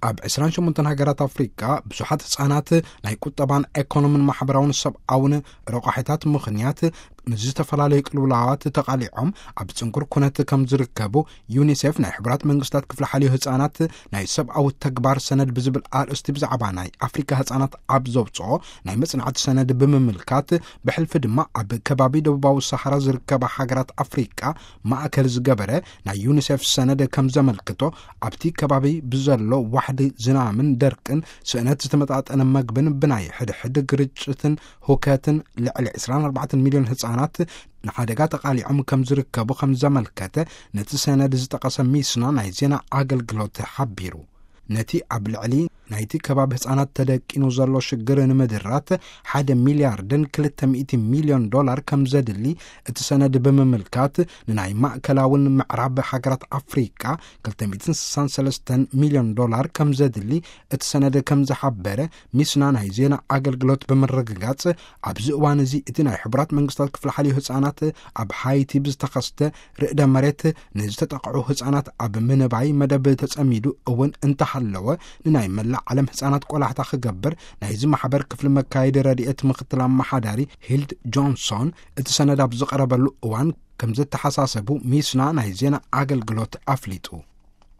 ኣብ ዕስራን ሸሞንተን ሃገራት ኣፍሪቃ ብዙሓት ህጻናት ናይ ቁጠባን ኤኮኖምን ማሕበራውን ሰብኣውን ረቋሒታት ምኽንያት ንዝተፈላለዩ ቅልውላዋት ተቓሊዖም ኣብ ጽንኩር ኩነት ከም ዝርከቡ፣ ዩኒሴፍ ናይ ሕቡራት መንግስታት ክፍሊ ሓልዮ ህጻናት ናይ ሰብኣዊ ተግባር ሰነድ ብዝብል ኣርእስቲ ብዛዕባ ናይ ኣፍሪካ ህጻናት ኣብ ዘውጽኦ ናይ መጽናዕቲ ሰነድ ብምምልካት፣ ብሕልፊ ድማ ኣብ ከባቢ ደቡባዊ ሰሃራ ዝርከባ ሃገራት ኣፍሪቃ ማእከል ዝገበረ ናይ ዩኒሴፍ ሰነድ ከም ዘመልክቶ፣ ኣብቲ ከባቢ ብዘሎ ዋሕዲ ዝናምን ደርቅን፣ ስእነት ዝተመጣጠነ መግብን ብናይ ሕድሕድ ግርጭትን ሁከትን ልዕሊ ዕስራን ኣርባዕተን ሚልዮን ህጻናት ንሓደጋ ተቓሊዖም ከም ዝርከቡ ከም ዘመልከተ፣ ነቲ ሰነድ ዝጠቐሰ ሚስና ናይ ዜና ኣገልግሎት ሓቢሩ። ነቲ ኣብ ልዕሊ ናይቲ ከባቢ ህጻናት ተደቂኑ ዘሎ ሽግር ንምድራት፣ ሓደ ሚልያርድን ክልተ ሚእቲ ሚልዮን ዶላር ከም ዘድሊ እቲ ሰነድ ብምምልካት፣ ንናይ ማእከላውን ምዕራብ ሃገራት ኣፍሪቃ ክልተ ሚእትን ስሳን ሰለስተን ሚልዮን ዶላር ከም ዘድሊ እቲ ሰነድ ከም ዝሓበረ፣ ሚስና ናይ ዜና ኣገልግሎት ብምርግጋጽ፣ ኣብዚ እዋን እዚ እቲ ናይ ሕቡራት መንግስታት ክፍሊ ሓልዮ ህጻናት ኣብ ሃይቲ ብዝተኸስተ ርእደ መሬት ንዝተጠቕዑ ህጻናት ኣብ ምንባይ መደብ ተጸሚዱ እውን እንተሃለወ፣ ንናይ መላእ ዓለም ህጻናት ቆላሕታ ክገብር ናይዚ ማሕበር ክፍሊ መካየዲ ረድኤት ምኽትል ኣመሓዳሪ ሂልድ ጆንሶን እቲ ሰነድ ኣብ ዝቐረበሉ እዋን ከም ዘተሓሳሰቡ ሚስና ናይ ዜና ኣገልግሎት ኣፍሊጡ።